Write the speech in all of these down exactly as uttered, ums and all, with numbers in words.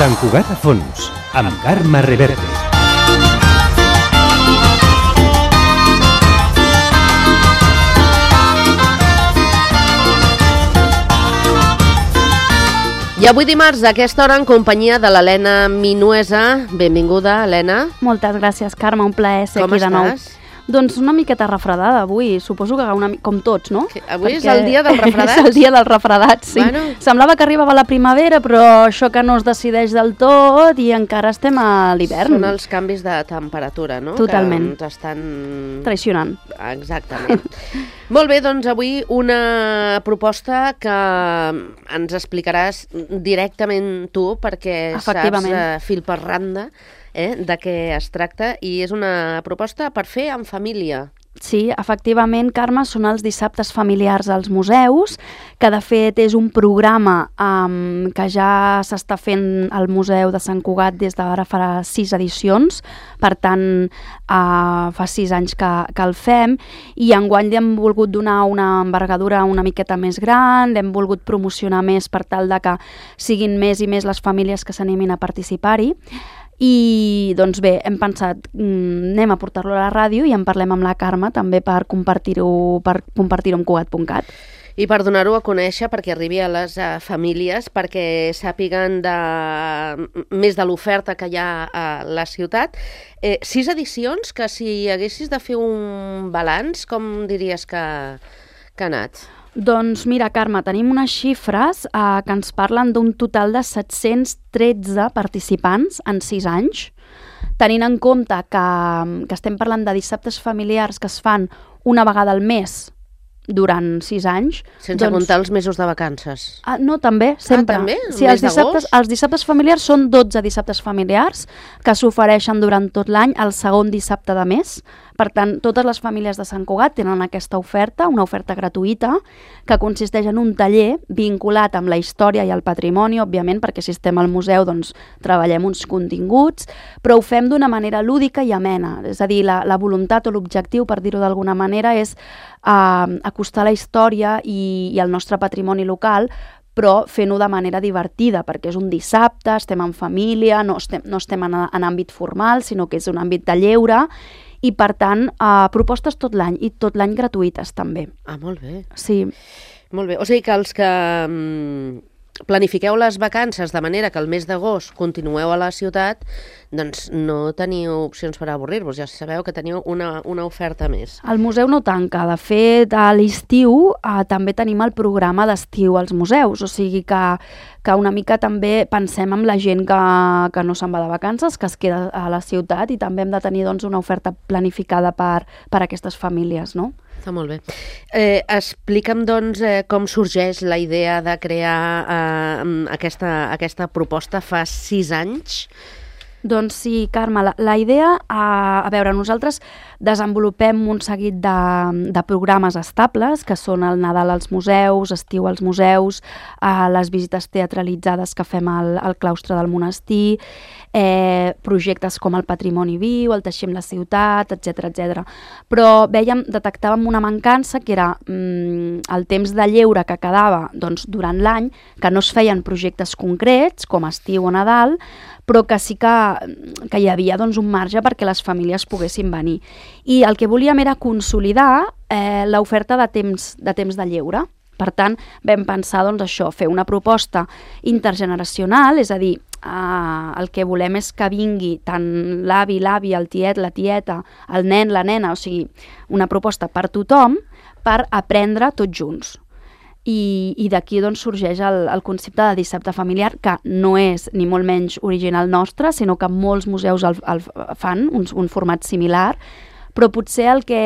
Sant Cugat a fons, amb Carme Reverte. I avui dimarts, a aquesta hora, en companyia de l'Helena Minuesa. Benvinguda, Helena. Moltes gràcies, Carme, un plaer ser Com aquí de nou. estàs? Doncs una miqueta refredada avui, suposo que una, com tots, no? Que avui és el dia dels refredats? És el dia dels refredats, sí. Bueno. Semblava que arribava la primavera, però això que no es decideix del tot i encara estem a l'hivern. Són els canvis de temperatura, no? Totalment. Que ens estan... Traicionant. Exactament. Molt bé, doncs avui una proposta que ens explicaràs directament tu, perquè saps eh, fil per randa eh, de què es tracta, i és una proposta per fer en família. Sí, efectivament, Carme, són els dissabtes familiars als museus, que de fet és un programa um, que ja s'està fent al Museu de Sant Cugat des d'ara farà sis edicions, per tant uh, fa sis anys que, que el fem, i enguany li hem volgut donar una envergadura una miqueta més gran, l'hem volgut promocionar més per tal de que siguin més i més les famílies que s'animin a participar-hi. I doncs bé, hem pensat, mm, anem a portar-lo a la ràdio i en parlem amb la Carme també per compartir-ho per compartir-ho amb Cugat punt cat. I per donar-ho a conèixer, perquè arribi a les uh, famílies, perquè sàpiguen de, més de l'oferta que hi ha a la ciutat. Eh, sis edicions que si haguessis de fer un balanç, com diries que, que ha anat? Doncs mira, Carme, tenim unes xifres eh, que ens parlen d'un total de set-cents tretze participants en sis anys, tenint en compte que, que estem parlant de dissabtes familiars que es fan una vegada al mes durant sis anys. Sense doncs... comptar els mesos de vacances. Ah, no, també, sempre. Ah, també? Sí, els dissabtes, els dissabtes familiars són dotze dissabtes familiars que s'ofereixen durant tot l'any el segon dissabte de mes. Per tant, totes les famílies de Sant Cugat tenen aquesta oferta, una oferta gratuïta, que consisteix en un taller vinculat amb la història i el patrimoni, òbviament, perquè si estem al museu doncs, treballem uns continguts, però ho fem d'una manera lúdica i amena. És a dir, la, la voluntat o l'objectiu, per dir-ho d'alguna manera, és eh, acostar la història i, i el nostre patrimoni local, però fent-ho de manera divertida, perquè és un dissabte, estem en família, no estem, no estem en, en àmbit formal, sinó que és un àmbit de lleure, i per tant, eh, propostes tot l'any, i tot l'any gratuïtes també. Ah, molt bé. Sí. Molt bé. O sigui que els que mm, planifiqueu les vacances de manera que el mes d'agost continueu a la ciutat, doncs no teniu opcions per avorrir-vos, ja sabeu que teniu una, una oferta més. El museu no tanca, de fet a l'estiu eh, també tenim el programa d'estiu als museus, o sigui que, que una mica també pensem en la gent que, que no se'n va de vacances, que es queda a la ciutat, i també hem de tenir doncs, una oferta planificada per, per a aquestes famílies, no? Està molt bé. Eh, explica'm, doncs, eh, com sorgeix la idea de crear eh, aquesta, aquesta proposta fa sis anys. Doncs sí, Carme, la, la idea, a, a veure, nosaltres desenvolupem un seguit de, de programes estables, que són el Nadal als museus, estiu als museus, eh, les visites teatralitzades que fem al, al claustre del monestir, eh, projectes com el Patrimoni Viu, el Teixim la Ciutat, etcètera, etcètera. Però vèiem, detectàvem una mancança, que era mm, el temps de lleure que quedava doncs, durant l'any, que no es feien projectes concrets, com estiu o Nadal, però que sí que, que hi havia doncs, un marge perquè les famílies poguessin venir. I el que volíem era consolidar eh, l'oferta de temps, de temps de lleure. Per tant, vam pensar doncs, això, fer una proposta intergeneracional, és a dir, eh, el que volem és que vingui tant l'avi, l'avi, el tiet, la tieta, el nen, la nena, o sigui, una proposta per tothom per aprendre tots junts. I, i d'aquí doncs, sorgeix el, el concepte de dissabte familiar, que no és ni molt menys original nostre, sinó que molts museus el, el fan, un, un format similar, però potser el que,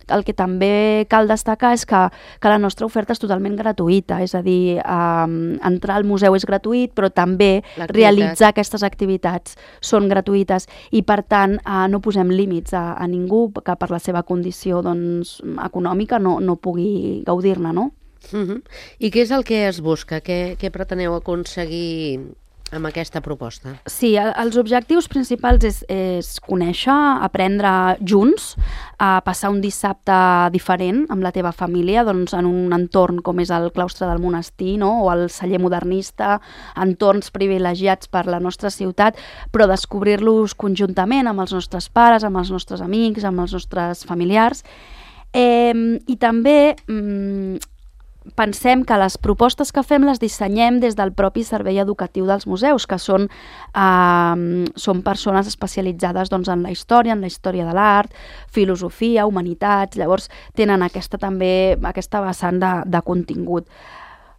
el que també cal destacar és que, que la nostra oferta és totalment gratuïta, és a dir, eh, entrar al museu és gratuït, però també realitzar aquestes activitats són gratuïtes, i per tant eh, no posem límits a, a ningú que per la seva condició doncs, econòmica no, no pugui gaudir-ne, no? Uh-huh. I què és el que es busca? Què, què preteneu aconseguir amb aquesta proposta? Sí, els objectius principals és, és conèixer, aprendre junts, a passar un dissabte diferent amb la teva família, doncs en un entorn com és el claustre del monestir, no? O el celler modernista, entorns privilegiats per la nostra ciutat, però descobrir-los conjuntament amb els nostres pares, amb els nostres amics, amb els nostres familiars. Eh, I també mm, pensem que les propostes que fem les dissenyem des del propi servei educatiu dels museus, que són, eh, són persones especialitzades doncs, en la història, en la història de l'art, filosofia, humanitats, llavors tenen aquesta també aquesta vessant de, de contingut.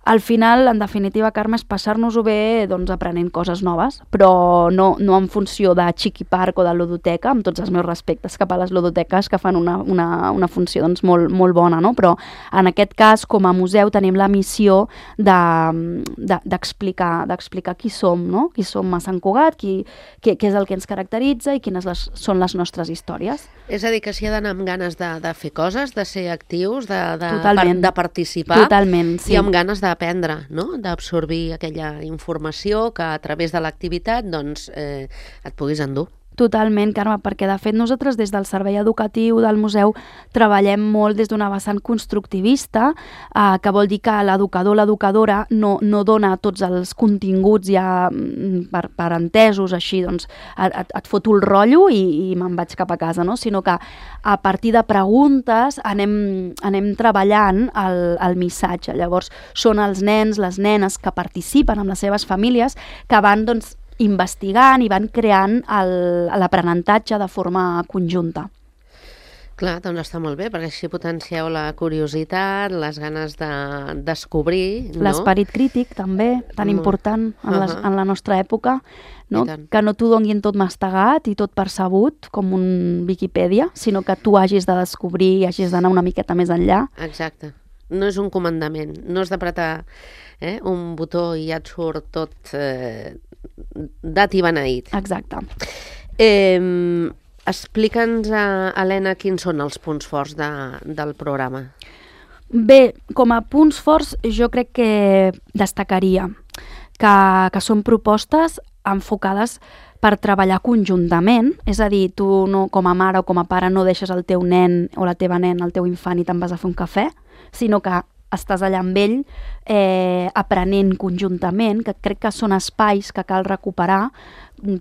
Al final, en definitiva, Carme, és passar-nos-ho bé doncs, aprenent coses noves, però no, no en funció de Chiqui Park o de ludoteca, amb tots els meus respectes cap a les ludoteques que fan una, una, una funció doncs, molt, molt bona, no? Però en aquest cas, com a museu, tenim la missió d'explicar de, de, d'explicar qui som, no? Qui som a Sant Cugat, qui, què, què és el que ens caracteritza i quines les, són les nostres històries. És a dir, que s'hi ha d'anar amb ganes de, de fer coses, de ser actius, de, de, Totalment. de participar. Totalment, sí. I amb ganes de aprendre, no? D'absorbir aquella informació que a través de l'activitat doncs, eh, et puguis endur. Totalment, Carme, perquè de fet nosaltres des del servei educatiu del museu treballem molt des d'una vessant constructivista, eh, que vol dir que l'educador o l'educadora no, no dona tots els continguts ja per, per entesos, així, doncs et, et foto el rotllo i, i me'n vaig cap a casa, no? Sinó que a partir de preguntes anem, anem treballant el, el missatge. Llavors són els nens, les nenes que participen amb les seves famílies que van, doncs, investigant i van creant l'aprenentatge de forma conjunta. Clar, doncs està molt bé, perquè així potencieu la curiositat, les ganes de descobrir, no? L'esperit crític, també, tan important en, les, en la nostra època, no? Que no t'ho donin tot mastegat i tot percebut, com un Viquipèdia, sinó que tu hagis de descobrir i hagis d'anar una miqueta més enllà. Exacte. No és un comandament, no és d'apretar eh, un botó i ja et surt tot eh, dat i beneït. Exacte. Eh, Explica'ns, Helena, quins són els punts forts de, del programa. Bé, com a punts forts jo crec que destacaria que, que són propostes enfocades per treballar conjuntament, és a dir, tu no, com a mare o com a pare no deixes el teu nen o la teva nena, el teu infant i te'n vas a fer un cafè, sinó que estàs allà amb ell eh, aprenent conjuntament, que crec que són espais que cal recuperar.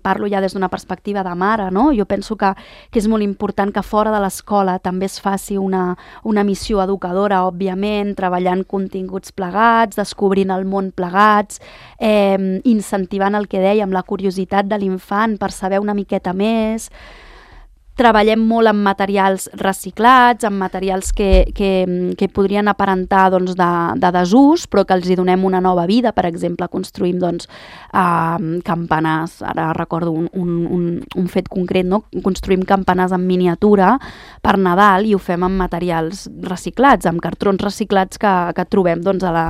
Parlo ja des d'una perspectiva de mare, no? Jo penso que, que és molt important que fora de l'escola també es faci una, una missió educadora, òbviament, treballant continguts plegats, descobrint el món plegats, eh, incentivant el que dèiem, la curiositat de l'infant per saber una miqueta més. Treballem molt amb materials reciclats, amb materials que, que, que podrien aparentar doncs, de, de desús, però que els hi donem una nova vida. Per exemple, construïm doncs, uh, campanars, ara recordo un, un, un, un fet concret, no? Construïm campanars en miniatura per Nadal i ho fem amb materials reciclats, amb cartrons reciclats que, que trobem doncs, a la,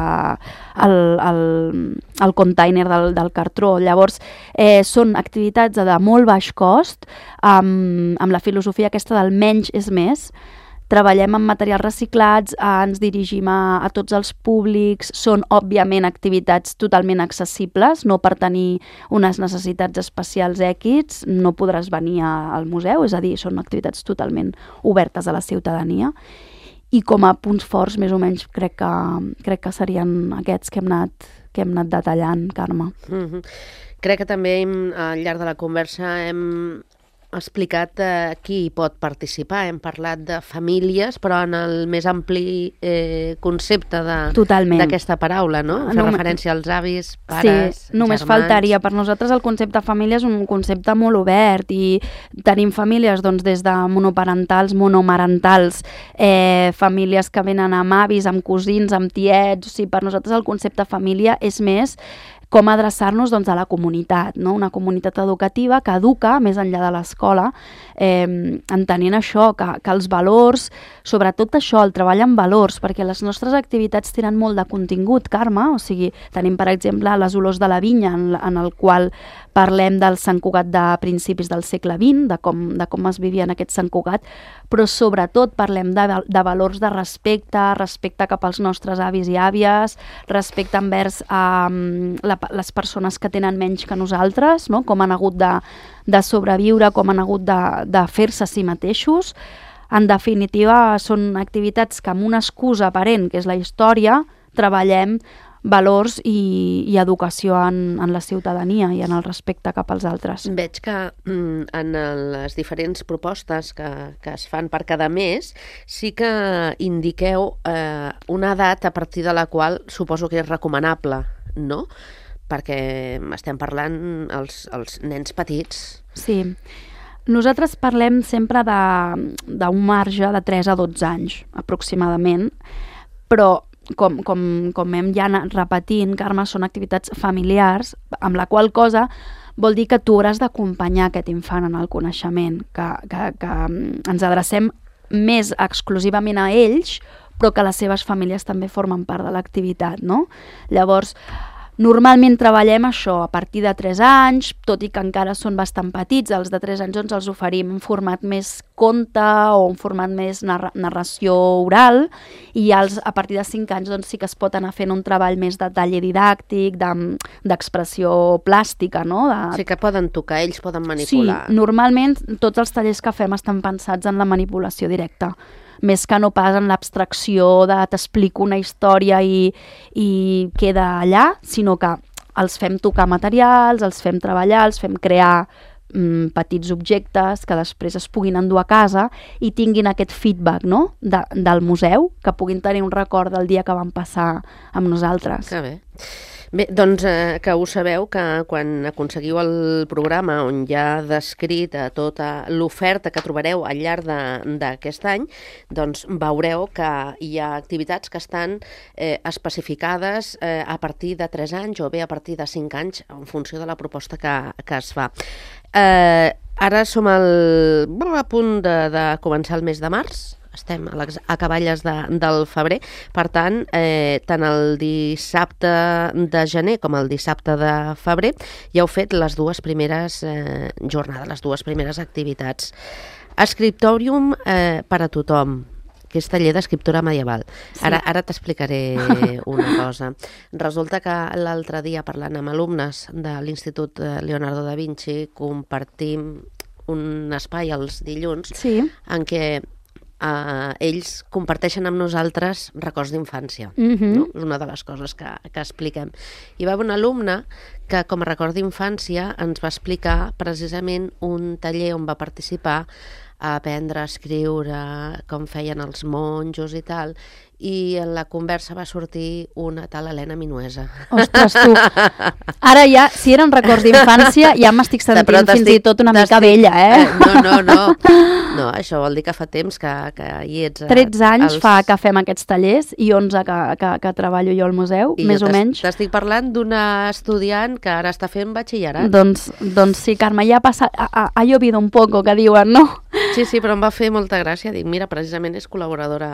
al, al, al container del, del cartró. Llavors, eh, són activitats de molt baix cost, amb, amb la filosofia aquesta del menys és més. Treballem amb materials reciclats, eh, ens dirigim a, a tots els públics, són òbviament activitats totalment accessibles, no per tenir unes necessitats especials X, no podràs venir a, al museu, és a dir, són activitats totalment obertes a la ciutadania. I com a punts forts, més o menys, crec que, crec que serien aquests que hem anat, que hem anat detallant, Carme. Mm-hmm. Crec que també hem, al llarg de la conversa hem explicat eh, qui hi pot participar. Hem parlat de famílies, però en el més ampli eh, concepte d'aquesta paraula, no? Fer no, referència als avis, pares, sí, només germans. Faltaria. Per nosaltres el concepte família és un concepte molt obert i tenim famílies doncs, des de monoparentals, monomarentals, eh, famílies que venen amb avis, amb cosins, amb tiets. O sigui, per nosaltres el concepte família és més com adreçar-nos doncs, a la comunitat, no? Una comunitat educativa que educa més enllà de l'escola, eh, entenent això, que, que els valors, sobretot això, el treball amb valors, perquè les nostres activitats tenen molt de contingut, Carme, o sigui, tenim, per exemple, les olors de la vinya, en, en el qual parlem del Sant Cugat de principis del segle vint, de com, de com es vivia en aquest Sant Cugat, però sobretot parlem de, de valors de respecte, respecte cap als nostres avis i àvies, respecte envers eh, la les persones que tenen menys que nosaltres, no? Com han hagut de, de sobreviure, com han hagut de, de fer-se a si mateixos. En definitiva, són activitats que amb una excusa aparent, que és la història, treballem valors i, i educació en, en la ciutadania i en el respecte cap als altres. Veig que mm, en les diferents propostes que, que es fan per cada mes sí que indiqueu eh, una edat a partir de la qual suposo que és recomanable, no? Perquè estem parlant els, els nens petits. Sí. Nosaltres parlem sempre d'un marge de tres a dotze anys, aproximadament, però Com, com, com hem ja anat repetint, Carme, són activitats familiars, amb la qual cosa vol dir que tu hauràs d'acompanyar aquest infant en el coneixement, que, que, que ens adrecem més exclusivament a ells, però que les seves famílies també formen part de l'activitat, no? Llavors, normalment treballem això a partir de tres anys, tot i que encara són bastant petits, els de tres anys ens els oferim en format més conte o en format més narra narració oral, i els, a partir de cinc anys doncs, sí que es pot anar fent un treball més de taller didàctic, d'expressió de, plàstica, no? De... O sigui que poden tocar, ells poden manipular. Sí, normalment tots els tallers que fem estan pensats en la manipulació directa, més que no pas en l'abstracció de t'explico una història i, i queda allà, sinó que els fem tocar materials, els fem treballar, els fem crear mm, petits objectes que després es puguin endur a casa i tinguin aquest feedback, no? de, del museu, que puguin tenir un record del dia que van passar amb nosaltres. Que bé. Bé, doncs eh, que ho sabeu que quan aconseguiu el programa on hi ha descrit eh, tota l'oferta que trobareu al llarg d'aquest any, doncs veureu que hi ha activitats que estan eh, especificades eh, a partir de tres anys o bé a partir de cinc anys en funció de la proposta que, que es fa. Eh, ara som al, a punt de, de començar el mes de març. Estem a les acaballes de, del febrer, per tant, eh, tant el dissabte de gener com el dissabte de febrer ja heu fet les dues primeres eh, jornades, les dues primeres activitats. Scriptorium eh, per a tothom, que és taller d'escriptura medieval. Sí. Ara, ara t'explicaré una cosa. Resulta que l'altre dia, parlant amb alumnes de l'Institut Leonardo da Vinci, compartim un espai els dilluns sí. en què Uh, ells comparteixen amb nosaltres records d'infància. Mm-hmm. No? És una de les coses que, que expliquem. Hi va haver un alumne que, com a record d'infància, ens va explicar precisament un taller on va participar a aprendre a escriure, com feien els monjos i tal, i en la conversa va sortir una tal Helena Minuesa. Ostres, tu! Ara ja, si eren records d'infància, ja m'estic sentint fins i tot una mica vella, eh? No, no, no. No, això vol dir que fa temps que, que hi ets... tretze anys els... fa que fem aquests tallers i onze que, que, que treballo jo al museu, I més o menys. I t'estic parlant d'una estudiant que ara està fent batxillerat. Doncs, doncs sí, Carme, ja ha passat... Ha, ha, ha llovido un poco, que diuen, no? Sí, sí, però em va fer molta gràcia. Dic, mira, precisament és col·laboradora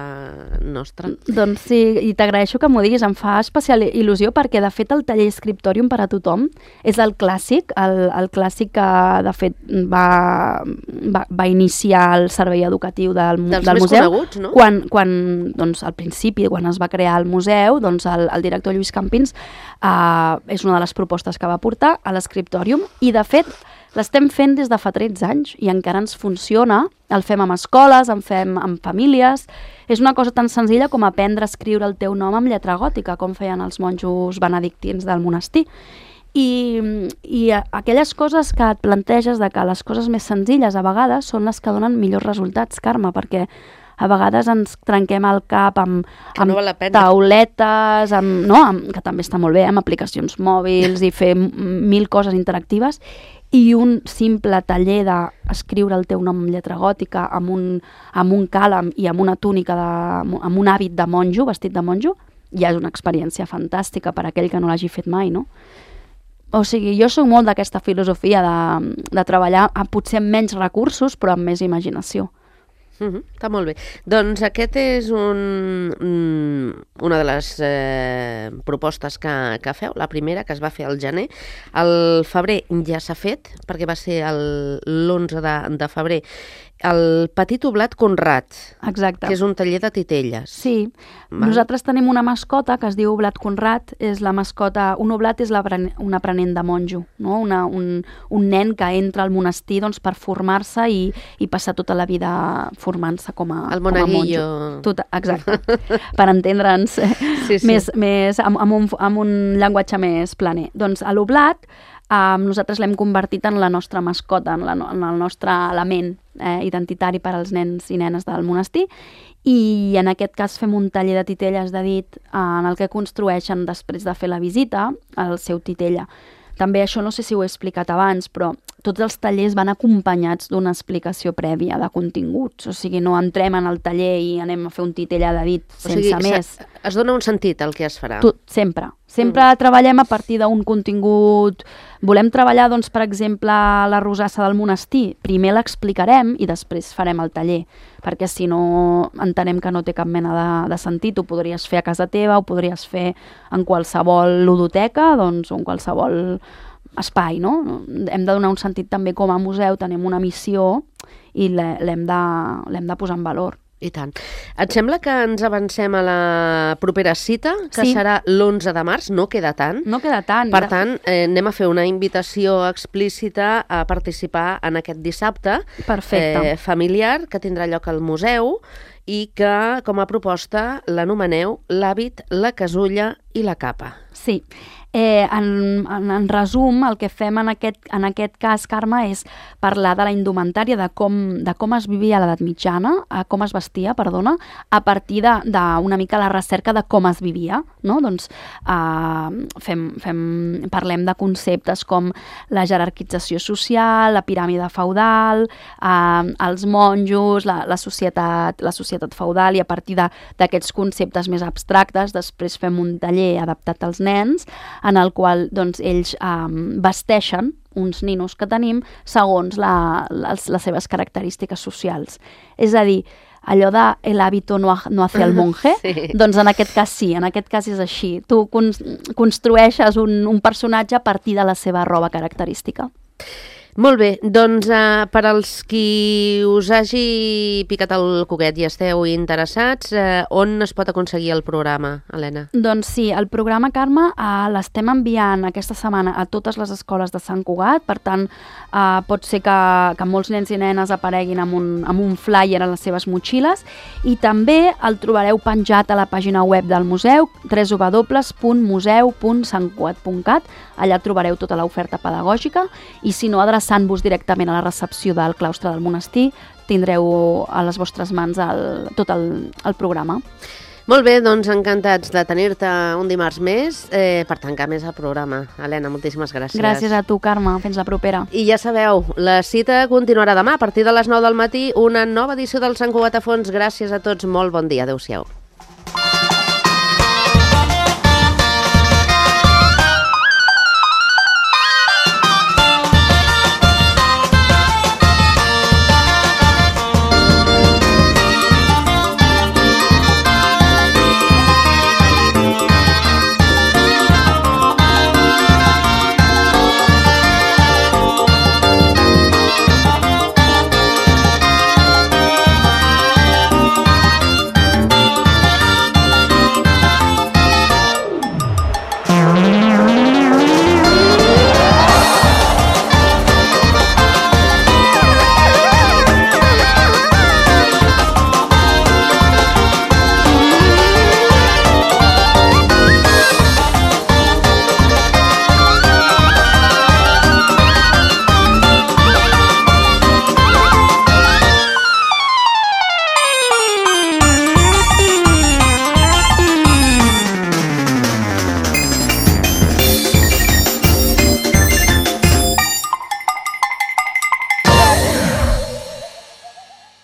nostra. Doncs sí, i t'agraeixo que m'ho diguis. Em fa especial il·lusió perquè, de fet, el taller Scriptorium per a tothom és el clàssic, el, el clàssic que, de fet, va, va, va iniciar el servei educatiu del, Dels del més museu. Coneguts, no? Quan, quan, doncs, al principi, quan es va crear el museu, doncs, el, el director Lluís Campins eh, és una de les propostes que va portar a l'Scriptorium i, de fet, l'estem fent des de fa tretze anys i encara ens funciona. El fem amb escoles, en fem amb famílies. És una cosa tan senzilla com aprendre a escriure el teu nom amb lletra gòtica, com feien els monjos benedictins del monestir. I, i aquelles coses que et planteges de que les coses més senzilles a vegades són les que donen millors resultats, Carme, perquè a vegades ens trenquem el cap amb, amb no val tauletes, amb, no? amb, que també està molt bé, amb aplicacions mòbils i fer mil coses interactives, i un simple taller d'escriure el teu nom en lletra gòtica amb un, amb un càlam i amb una túnica, de, amb un hàbit de monjo, vestit de monjo, ja és una experiència fantàstica per a aquell que no l'hagi fet mai, no? O sigui, jo soc molt d'aquesta filosofia de, de treballar amb potser amb menys recursos, però amb més imaginació. Uh-huh, està molt bé. Doncs aquest és un, una de les eh, propostes que, que feu, la primera que es va fer al gener. El febrer ja s'ha fet, perquè va ser l'onze de, de febrer, el Petit Oblat Conrad, Exacte. que és un taller de titelles. Sí, Val. Nosaltres tenim una mascota que es diu Oblat Conrad, és la mascota, un oblat és un aprenent de monjo, no? Una, un, un nen que entra al monestir doncs, per formar-se i, i passar tota la vida formant-se com a, el com a monaguillo. monjo. Tot, exacte, per entendre'ns sí, sí. més, més amb, amb, un, amb un llenguatge més planer. Doncs a l'oblat Um, nosaltres l'hem convertit en la nostra mascota, en, la, en el nostre element eh, identitari per als nens i nenes del monestir, i en aquest cas fem un taller de titelles de dit eh, en el que construeixen, després de fer la visita, el seu titella. També això no sé si ho he explicat abans, però tots els tallers van acompanyats d'una explicació prèvia de continguts. O sigui, no entrem en el taller i anem a fer un titella de dit sense o sigui, més. Es dona un sentit al que es farà. Tot, sempre. Sempre mm. treballem a partir d'un contingut. Volem treballar, doncs, per exemple, la rosassa del monestir. Primer l'explicarem i després farem el taller, perquè si no entenem que no té cap mena de, de sentit. Ho podries fer a casa teva, ho podries fer en qualsevol ludoteca, doncs, o en qualsevol espai, no? Hem de donar un sentit també com a museu, tenim una missió i l'hem de, l'hem de posar en valor. I tant. Et sembla que ens avancem a la propera cita, que sí. serà l'onze de març? No queda tant. No queda tant. Per tant, eh, anem a fer una invitació explícita a participar en aquest dissabte Perfecte. Eh, familiar que tindrà lloc al museu i que, com a proposta, l'anomeneu l'hàbit, la casulla i la capa. Sí. Eh, en, en, en resum, el que fem en aquest, en aquest cas, Carme, és parlar de la indumentària, de com, de com es vivia a l'edat mitjana, a com es vestia, perdona, a partir d'una mica la recerca de com es vivia, no? Doncs eh, fem, fem, parlem de conceptes com la jerarquització social, la piràmide feudal, eh, els monjos, la, la, societat, la societat feudal, i a partir d'aquests conceptes més abstractes després fem un taller adaptat als nens, en el qual doncs, ells um, vesteixen uns ninos que tenim segons la, les, les seves característiques socials. És a dir, allò de el hábito no, no hace el monje, sí. Doncs en aquest cas sí, en aquest cas és així. Tu con construeixes un, un personatge a partir de la seva roba característica. Molt bé, doncs eh, per als qui us hagi picat el coquet i esteu interessats, eh, on es pot aconseguir el programa, Helena? Doncs sí, el programa, Carme, eh, l'estem enviant aquesta setmana a totes les escoles de Sant Cugat, per tant, eh, pot ser que, que molts nens i nenes apareguin amb un, amb un flyer a les seves motxilles, i també el trobareu penjat a la pàgina web del museu, w w w punt museu punt sant cugat punt cat. Allà trobareu tota l'oferta pedagògica, i si no, adreçant-vos directament a la recepció del claustre del monestir, tindreu a les vostres mans el, tot el, el programa. Molt bé, doncs encantats de tenir-te un dimarts més eh, per tancar més el programa. Helena, moltíssimes gràcies. Gràcies a tu, Carme. Fins la propera. I ja sabeu, la cita continuarà demà a partir de les nou del matí, una nova edició del Sant Cugat a Fons. Gràcies a tots, molt bon dia. Adéu-siau.